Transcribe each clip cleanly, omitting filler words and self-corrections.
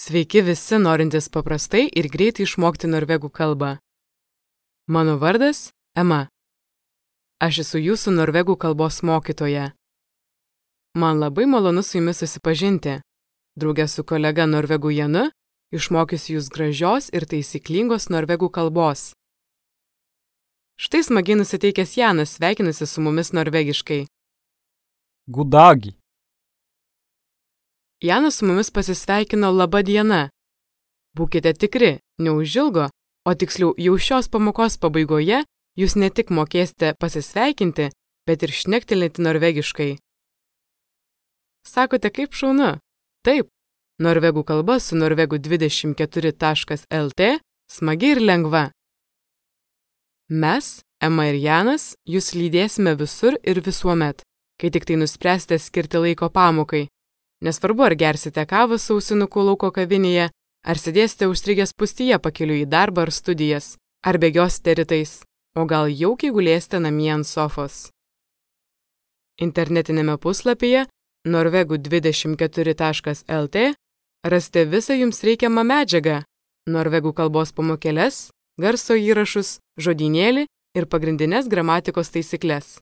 Sveiki visi norintys paprastai ir greitai išmokti norvegų kalbą. Mano vardas Ema. Aš esu jūsų norvegų kalbos mokytoja. Man labai malonu su jumis susipažinti. Drauge su kolega norvegų Janu išmokysiu jūs gražios ir taisyklingos norvegų kalbos. Štai smagiai nusiteikęs Janas sveikinasi su mumis norvegiškai. God dag. Janas su mumis pasisveikino laba diena. Būkite tikri, neužilgo, o tiksliau jau šios pamokos pabaigoje jūs ne tik mokėsite pasisveikinti, bet ir šnektelėti norvegiškai. Sakote, kaip šaunu? Taip, norvegų kalba su norvegų24.lt smagi ir lengva. Mes, Ema ir Janas, jūs lydėsime visur ir visuomet, kai tik tai nuspręsite skirti laiko pamokai. Nesvarbu, ar gersite kavą su ausinuku lauko kavinėje, ar sėdėsite užstrigę spūstyje pakeliui į darbą ar studijas, ar bėgiosite rytais, o gal jaukiai gulėsite namie ant sofos. Internetinėme puslapyje norvegų24.lt rasite visą jums reikiamą medžiagą, norvegų kalbos pamokėles, garso įrašus, žodynėlį ir pagrindinės gramatikos taisykles.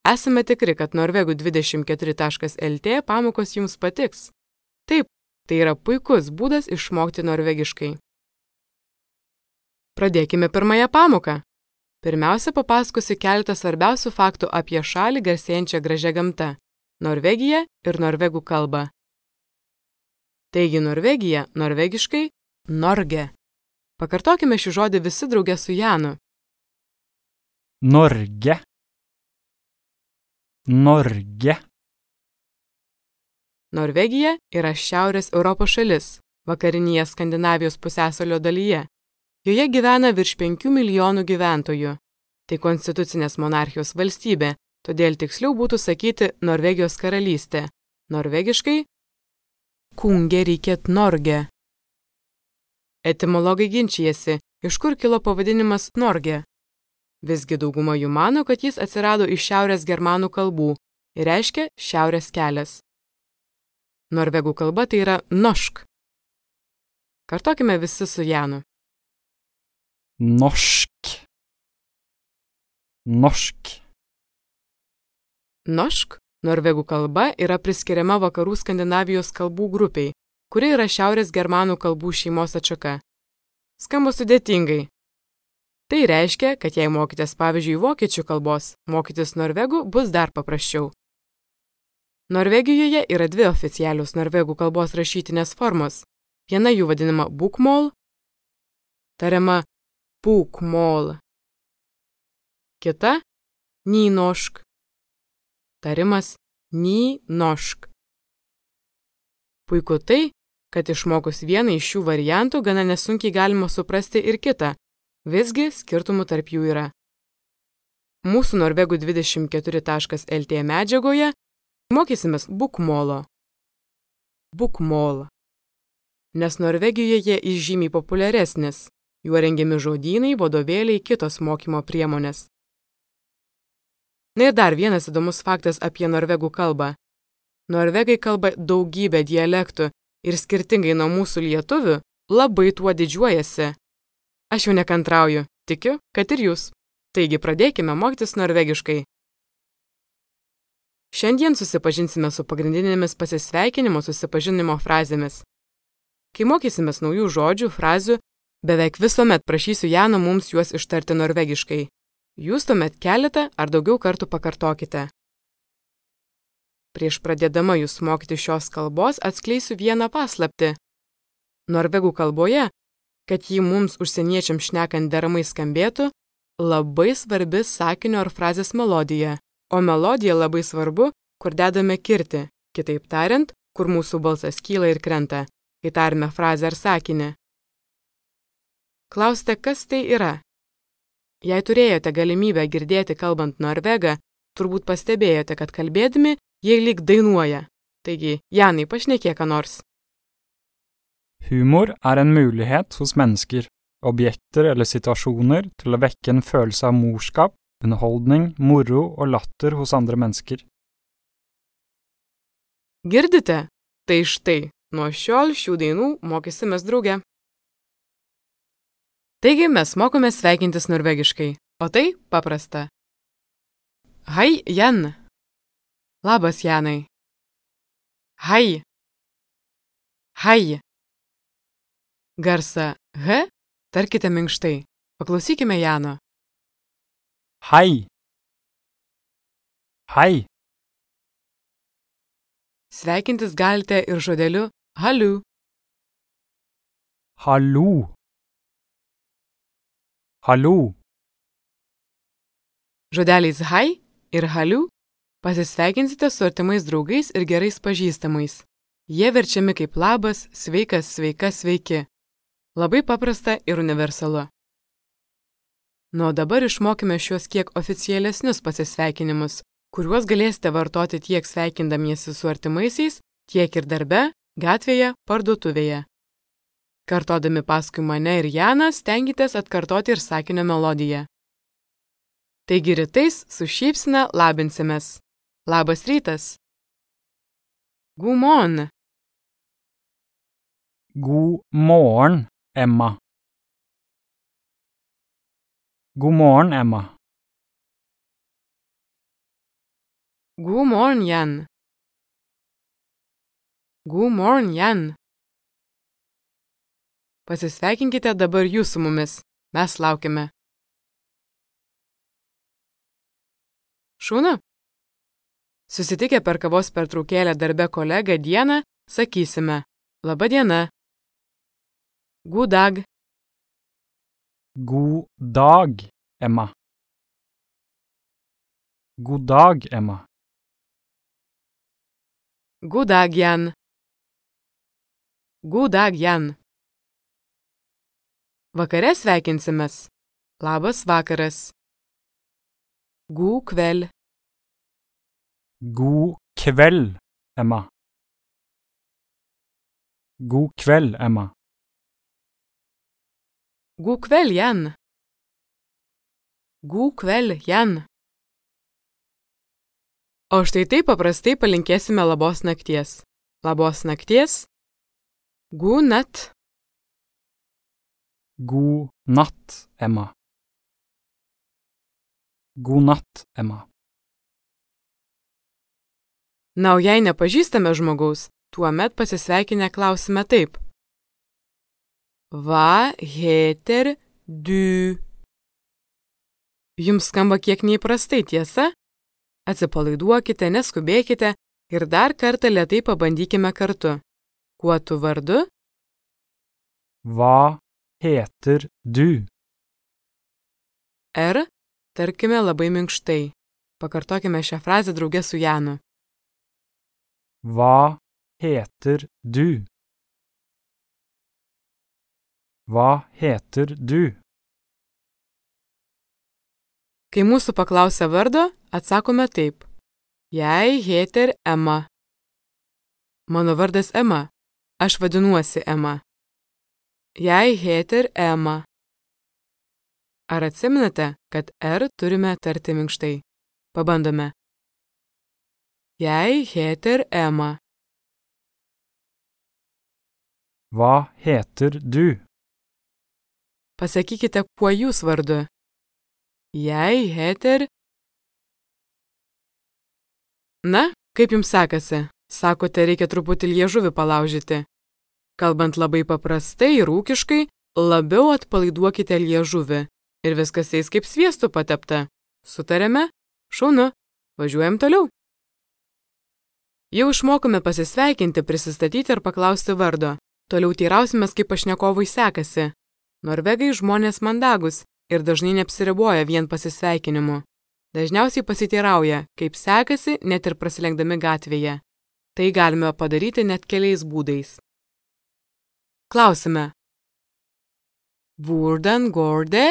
Esame tikri, kad norvegų24.lt pamokos jums patiks. Taip, tai yra puikus būdas išmokti norvegiškai. Pradėkime pirmąją pamoką. Pirmiausia, papasakosiu keletą svarbiausių faktų apie šalį garsėjančią gražią gamtą – Norvegiją ir norvegų kalbą. Taigi Norvegija, norvegiškai – Norge. Pakartokime šį žodį visi drauge su Janu. Norge. Norge. Norvegija yra Šiaurės Europos šalis, vakarinėje Skandinavijos pusiasalio dalyje. Joje gyvena virš 5 milijonų gyventojų. Tai konstitucinės monarchijos valstybė, todėl tiksliau būtų sakyti Norvegijos karalystė. Norvegiškai Kungeriket Norge. Etimologai ginčijasi, iš kur kilo pavadinimas Norge. Visgi dauguma jų mano, kad jis atsirado iš šiaurės germanų kalbų ir reiškia šiaurės kelias. Norvegų kalba tai yra norsk. Kartokime visi su Janu. Norsk. Norsk. Norsk, norvegų kalba, yra priskiriama vakarų Skandinavijos kalbų grupiai, kuri yra šiaurės germanų kalbų šeimos atšaka. Skamba sudėtingai. Tai reiškia, kad jei mokitės pavyzdžiui vokiečių kalbos, mokytis norvegų bus dar paprasčiau. Norvegijoje yra dvi oficialios norvegų kalbos rašytinės formos. Viena jų vadinama bokmål, tariama bokmål. Kita nynorsk, tarimas nynorsk. Puiku tai, kad išmokus vieną iš šių variantų gana nesunkiai galima suprasti ir kitą. Visgi skirtumų tarp jų yra. Mūsų norvegų24.lt medžiagoje mokysimės bokmålo. Bokmål. Nes Norvegijoje jis žymiai populiaresnis. Juo rengiami žodynai, vadovėliai, kitos mokymo priemonės. Na ir dar vienas įdomus faktas apie norvegų kalbą. Norvegai kalba daugybę dialektų ir skirtingai nuo mūsų lietuvių labai tuo didžiuojasi. Aš jau nekantrauju, tikiu, kad ir jūs. Taigi pradėkime mokytis norvegiškai. Šiandien susipažinsime su pagrindinėmis pasisveikinimo susipažinimo frazėmis. Kai mokysimės naujų žodžių, frazių, beveik visuomet prašysiu Jano mums juos ištarti norvegiškai. Jūs tuomet keletą ar daugiau kartų pakartokite. Prieš pradėdama jūs mokyti šios kalbos atskleisiu vieną paslaptį. Norvegų kalboje, kad jį mums užsieniečiams šnekant deramai skambėtų, labai svarbi sakinio ar frazės melodija, o melodija labai svarbu, kur dedame kirtį, kitaip tariant, kur mūsų balsas kyla ir krenta, kai tarime frazę ar sakinį. Klausite, kas tai yra? Jei turėjote galimybę girdėti kalbant norvegą, turbūt pastebėjote, kad kalbėdami jie lyg dainuoja. Taigi, Janai, pašnekėk ką nors. Humor en mulighet hos mennesker, objekter eller situasjoner til å vekke en følelse av morskap, underholdning, moro og latter hos andre mennesker. Girdite? Tai štai, nuo šiol šių dainų mokysimės drauge. Taigi mes mokome sveikintis norvegiškai, o tai paprasta. Hei, Jan. Labas, Janai. Hei. Hei. Garsą H tarkite minkštai. Paklausykime Jano. Hei. Hei. Sveikintis galite ir žodeliu haliu. Hallo. Hallo. Žodeliais hei ir haliu pasisveikinsite su artimais draugais ir gerais pažįstamais. Jie verčiami kaip labas, sveikas, sveika, sveiki. Labai paprasta ir universalu. Nuo dabar išmokime šios kiek oficialesnius pasisveikinimus, kuriuos galėsite vartoti tiek sveikindamiesi su artimaisiais, tiek ir darbe, gatvėje, parduotuvėje. Kartodami paskui mane ir Janą stenkitės atkartoti ir sakinio melodiją. Taigi rytais su šypsena labinsimės. Labas rytas. God morgen. God morgen, Emma. God morgen, Emma. God morgen, Jan. God morgen, Jan. Pasisveikinkite dabar jūs su mumis. Mes laukiame. Šaunu. Susitikę per kavos pertraukėlę darbe kolegą dieną, sakysime: Laba diena. God dag. God dag, Emma. God dag, Emma. God dag, Jan. God dag, Jan. Vakare sveikinsimės. Labas vakaras. God kveld. God kveld, Emma. God kveld, Emma. God kveld, Jan. God kveld, Jan. O štai taip paprastai palinkėsime labos nakties. Labos nakties. God natt. God natt, Emma. God natt, Emma. Na, o jei nepažįstame žmogaus, tuomet pasisveikinę klausime taip. Hva heter du? Jums skamba kiek neįprastai, tiesa? Atsipalaiduokite, neskubėkite ir dar kartą lėtai pabandykime kartu. Kuo tu vardu? Hva heter du? R tarkime labai minkštai. Pakartokime šią frazę drauge su Janu. Hva heter du? Hva heter du? Kai mūsų paklausia vardo, atsakome taip. Jeg heter Emma. Mano vardas Emma. Aš vadinuosi Emma. Jeg heter Emma. Ar atsimenate, kad R turime tarti minkštai? Pabandome. Jeg heter Emma. Hva heter du? Pasakykite, kuo jūs vardu. Jeg heter... Na, kaip jums sekasi? Sakote, reikia truputį liežuvį palaužyti. Kalbant labai paprastai ir ūkiškai, labiau atpalaiduokite liežuvį. Ir viskas eis kaip sviestu patepta. Sutarėme? Šaunu. Važiuojam toliau. Jau išmokome pasisveikinti, prisistatyti ir paklausti vardo. Toliau teirausimės, kaip pašnekovui sekasi. Norvegai žmonės mandagus ir dažnai neapsiriboja vien pasisveikinimu. Dažniausiai pasiteirauja, kaip sekasi net ir prasilenkdami gatvėje. Tai galime padaryti net keliais būdais. Klausime. Hvordan går det?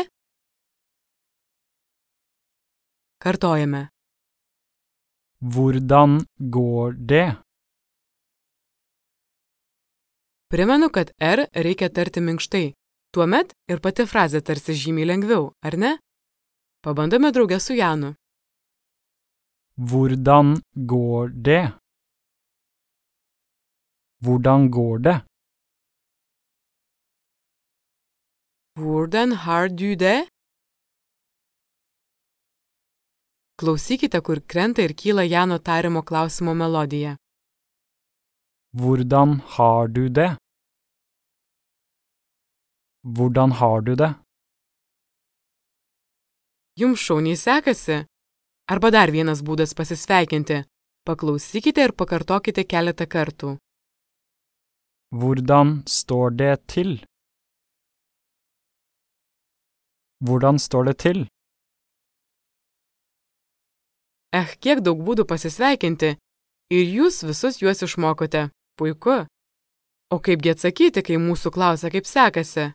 Kartojame. Hvordan går det? Primenu, kad R reikia tarti minkštai. Tuomet ir pati frazė tarsi žymiai lengviau, ar ne? Pabandome drauge su Janu. Hvordan går det? Hvordan går det? Hvordan har du det? Klausykite, kur krenta ir kyla Jano tariamo klausimo melodija. Hvordan har du det? Hvordan har du det? Jums šauniai sekasi? Arba dar vienas būdas pasisveikinti. Paklausykite ir pakartokite keletą kartų. Hvordan står det til? Hvordan står det til? Kiek daug būdų pasisveikinti. Ir jūs visus juos išmokote. Puiku. O kaipgi atsakyti, kai mūsų klausia, kaip sekasi?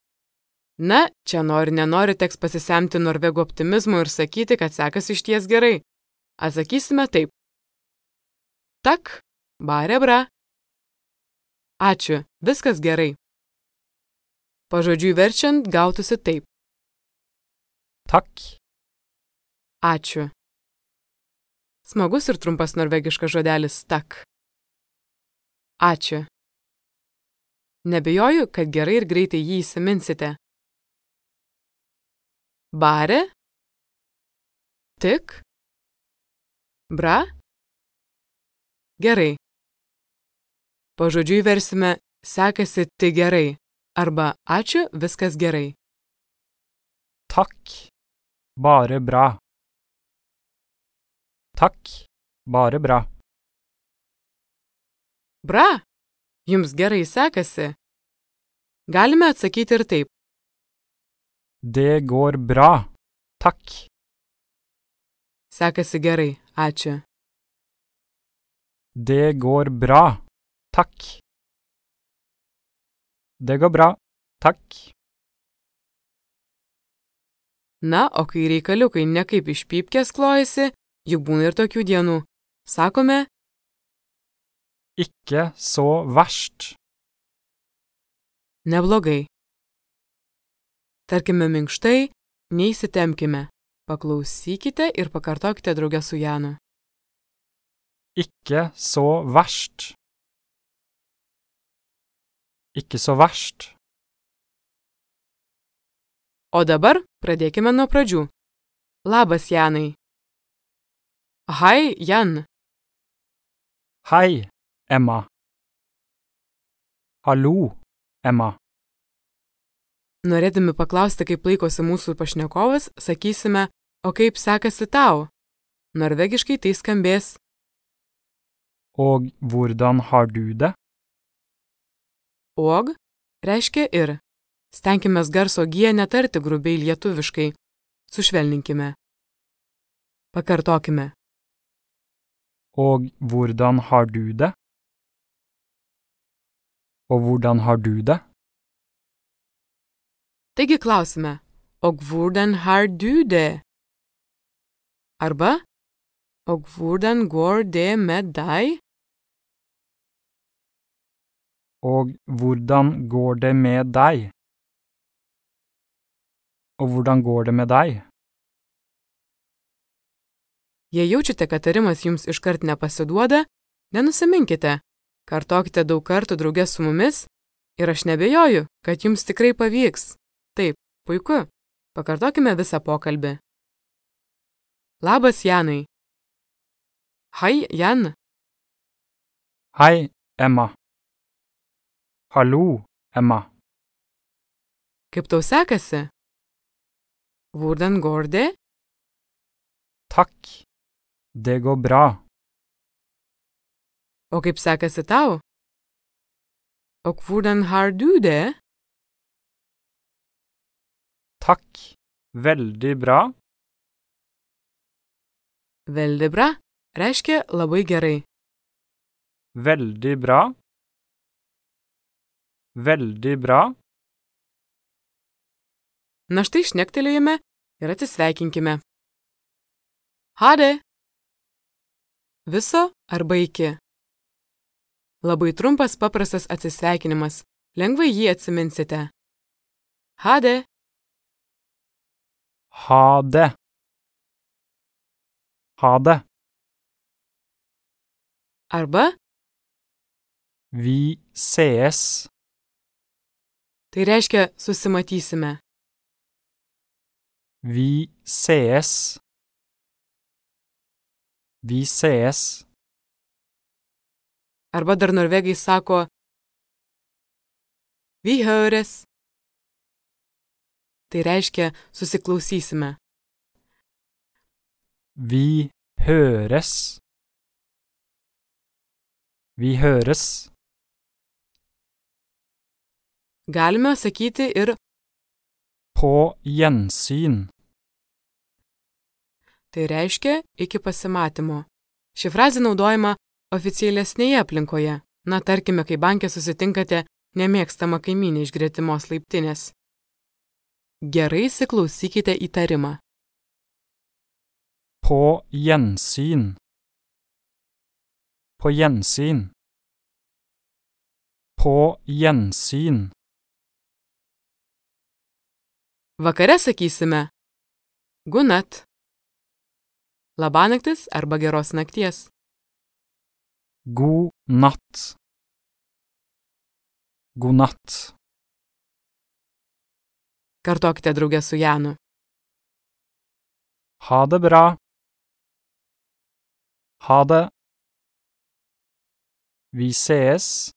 Na, čia nenori teks pasisemti norvegų optimizmo ir sakyti, kad sekasi išties gerai. Atsakysime taip. Tak, bare bra. Ačiū, viskas gerai. Pažodžiui verčiant gautųsi taip. Takk. Ačiū. Smagus ir trumpas norvegiškas žodelis tak. Ačiū. Nebejoju, kad gerai ir greitai jį įsiminsite. Bare. Tik. Bra. Gerai. Pažodžiui versime sekasi tik gerai arba ačiū, viskas gerai. Takk. Bare bra. Takk. Bare bra. Bra. Jums gerai sekasi. Galime atsakyti ir taip. Det går bra. Takk. Sekasi gerai, ačiū. Det går bra. Takk. Det går bra. Takk. Na, o kai reikaliukai nekaip iš pypkės klojasi, juk būna ir tokių dienų. Sakome, Ikke så verst. neblogai. Tarkime minkštai, neįsitempkime. Paklausykite ir pakartokite drauge su Janu. Ikke så verst. Ikke så verst. O dabar pradėkime nuo pradžių. Labas, Janai. Hai, Jan. Hei, Emma. Hallo, Emma. Norėdami paklausti, kaip laikosi mūsų pašnekovas, sakysime, o kaip sekasi tau? Norvegiškai tai skambės. Og hvordan har du det? Og reiškia ir. Stenkimės garso G netarti grubiai lietuviškai. Sušvelninkime. Pakartokime. Og hvordan har du det? Og hvordan har du det? Taigi klausime. Og hvordan har du det? Arba. Og hvordan går det med deg? Og hvordan går det med deg? Og hvordan går det med deg? Jei jaučiate, kad tarimas jums iškart nepasiduoda, nenusiminkite. Kartokite daug kartų drauge su mumis ir aš nebejoju, kad jums tikrai pavyks. Taip, puiku. Pakartokime visą pokalbį. Labas, Janai. Hai, Jan. Hei, Emma. Hallo, Emma. Kaip tau sekasi? Hvordan går det? Takk. Det går bra. O kaip sekasi tau? Og hvordan har du det? Takk. Veldig bra. Veldig bra reiškia labai gerai. Veldig bra. Veldig bra. Na štai šnektelėjome ir atsisveikinkime. Hade. Viso arba iki. Labai trumpas paprastas atsisveikinimas. Lengvai jį atsiminsite. Hade. Ha det. Ha det. Arba Vi ses. Tai reiškia susimatysime. Vi ses. Vi ses. Arba dar norvegai sako vi høres. Tai reiškia susiklausysime. Vi høres. Vi høres. Galime sakyti ir På gjensyn. tai reiškia iki pasimatymo. Ši frazė naudojama oficialesnėje aplinkoje. Na, tarkime, kai banke susitinkate nemėgstamą kaimynę iš gretimos laiptinės. Gerai įsiklausykite į tarimą. På gjensyn. På gjensyn. På gjensyn. Vakare sakysime gunat, labanaktis arba geros nakties. God natt. God natt. Kartokite drauge su Janu. Ha det bra. Ha det. Vi ses.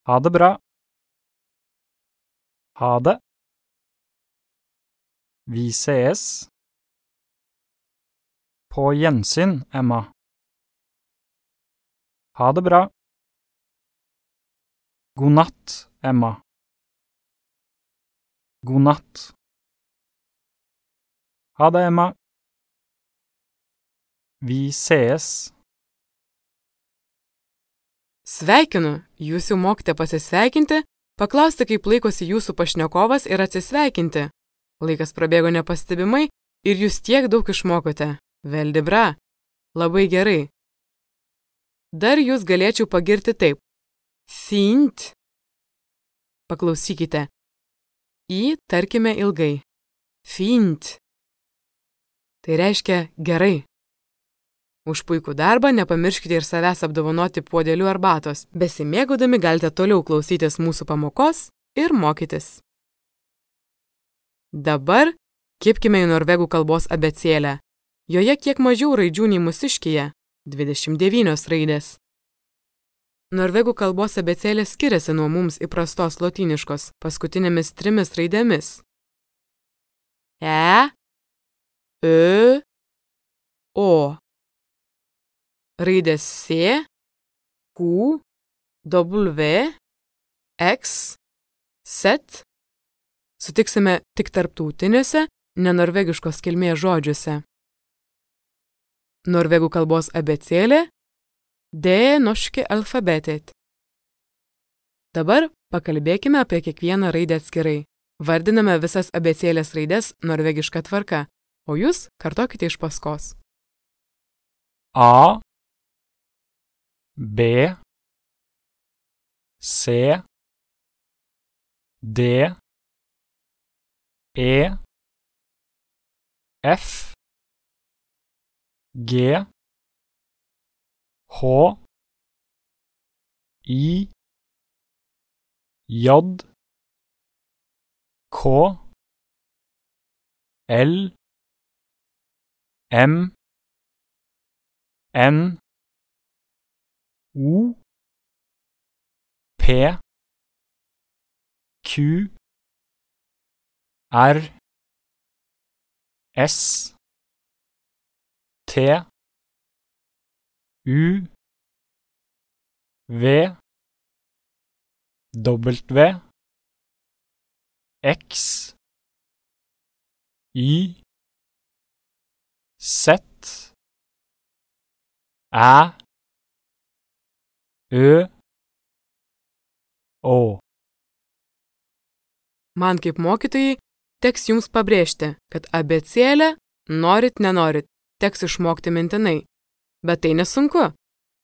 Ha det bra. Ha det. Vi ses. På gjensyn, Emma. Ha det bra. God natt, Emma. God natt. Ha det, Emma. Vi ses. Sveikinu, jūs jau mokite pasisveikinti, paklausti, kaip laikosi jūsų pašnekovas ir atsisveikinti. Laikas prabėgo nepastebimai ir jūs tiek daug išmokote. Veldi bra. Labai gerai. Dar jūs galėčiau pagirti taip. Fint. Paklausykite. Į tarkime ilgai. Fint. Tai reiškia gerai. Už puikų darbą nepamirškite ir savęs apdovanoti puodeliu arbatos. Besimėgaudami galite toliau klausytis mūsų pamokos ir mokytis. Dabar kibkime į norvegų kalbos abėcėlę. Joje kiek mažiau raidžių nei mūsiškyje – 29 raidės. Norvegų kalbos abėcėlė skiriasi nuo mums įprastos lotyniškos paskutinėmis 3 raidėmis. E, Ö, O. Raidės C, Q, W, X, Z sutiksime tik tarptautiniuose, nenorvegiškos kilmės žodžiuose. Norvegų kalbos abėcėlė Det norske alfabetet. Dabar pakalbėkime apie kiekvieną raidę atskirai. Vardiname visas abėcėlės raides norvegiška tvarka, o jūs kartokite iš paskos. A, B, C, D, E, F, G, H, I, J, K, L, M, N, O, P, Q, R, S, T, U, V, W, X, Y, Z, Æ, Ø, O. Man kaip mokytojai teks jums pabrėžti, kad abėcėlę norit nenorit, teks išmokti mintinai. Bet tai nesunku.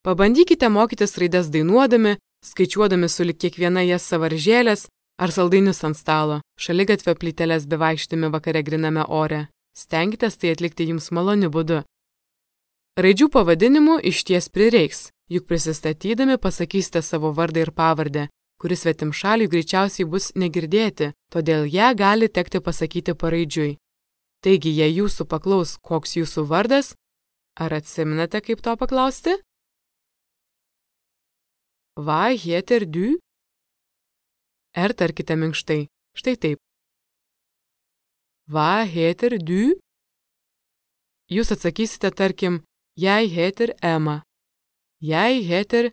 Pabandykite mokytis raides dainuodami, skaičiuodami sulig kiekviena jas savaržėlės ar saldainius ant stalo, šaligatvio plyteles bevaikštimi vakare griname ore. Stenkitės tai atlikti jums maloniu būdu. Raidžių pavadinimų išties prireiks. juk prisistatydami pasakysite savo vardą ir pavardę, kuris svetimšaliui greičiausiai bus negirdėti, todėl ją gali tekti pasakyti paraidžiui. Taigi, jei jūsų paklaus, koks jūsų vardas, ar atsiminate, kaip to paklausti? Vad heter du? Ir tarkite minkštai, štai taip. Vad heter du? Jūs atsakysite, tarkim, jeg heter Emma. Jeg heter...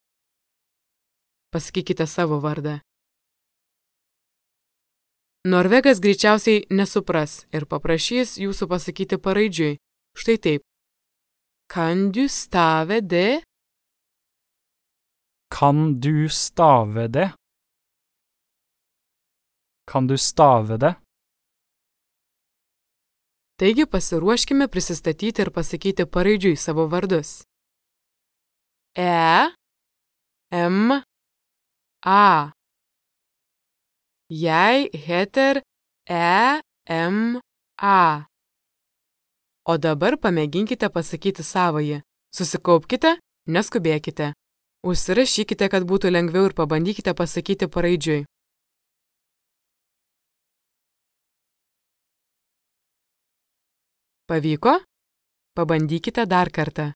Pasakykite savo vardą. Norvegas greičiausiai nesupras ir paprašys jūsų pasakyti paraidžiui. Štai taip. Kan du stave det? Kan du stave det? Kan du stave det? Taigi pasiruoškime prisistatyti ir pasakyti paraidžiui savo vardus. M A. Jeg heter M A. O dabar pamėginkite pasakyti savąjį. Susikaupkite, neskubėkite. Užsirašykite, kad būtų lengviau ir pabandykite pasakyti paraidžiui. Pavyko? Pabandykite dar kartą.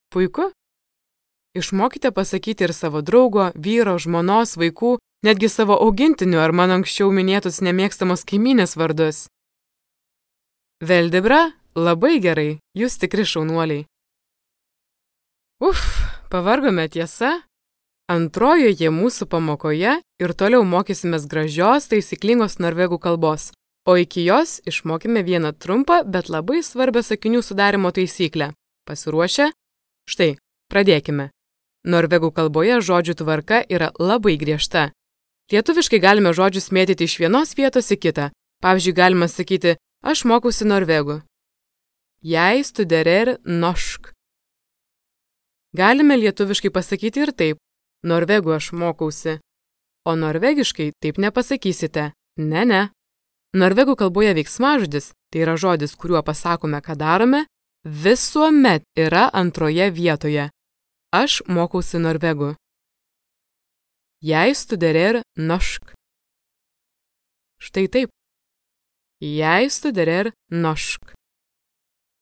Puiku? Išmokite pasakyti ir savo draugo, vyro, žmonos, vaikų, netgi savo augintinių ar mano anksčiau minėtus nemėgstamos kaimynės vardus. Veldibra, labai gerai, jūs tikri šaunuoliai. Pavargome tiesa? Antrojoje mūsų pamokoje ir toliau mokysimės gražios, taisyklingos norvegų kalbos, o iki jos išmokime vieną trumpą, bet labai svarbią sakinių sudarimo taisyklę. Pasiruošę? Štai, pradėkime. Norvegų kalboje žodžių tvarka yra labai griežta. Lietuviškai galime žodžius mėtyti iš vienos vietos į kitą. Pavyzdžiui, galima sakyti, aš mokausi norvegų. Jeg studerer norsk. Galime lietuviškai pasakyti ir taip, norvegų aš mokausi. O norvegiškai taip nepasakysite. Ne. Norvegų kalboje veiksmažodis, tai yra žodis, kuriuo pasakome, ką darome, visuomet yra antroje vietoje. Aš mokausi norvegų. Jeg studerer norsk. Štai taip. Jeg studerer norsk.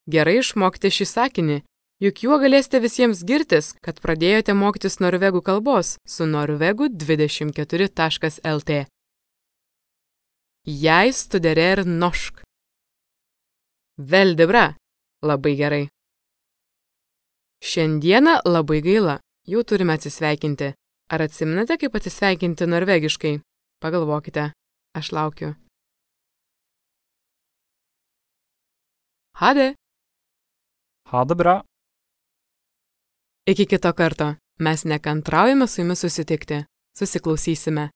Gerai išmokti šį sakinį, juk juo galėsite visiems girtis, kad pradėjote mokytis norvegų kalbos su norvegu24.lt. Jeg studerer norsk. Veldibra. Labai gerai. Šiandieną labai gaila, jau turime atsisveikinti. Ar atsiminate, kaip atsisveikinti norvegiškai? Pagalvokite, aš laukiu. Hade. Ha det bra. Iki kito karto. Mes nekantraujame su jumis susitikti. Susiklausysime.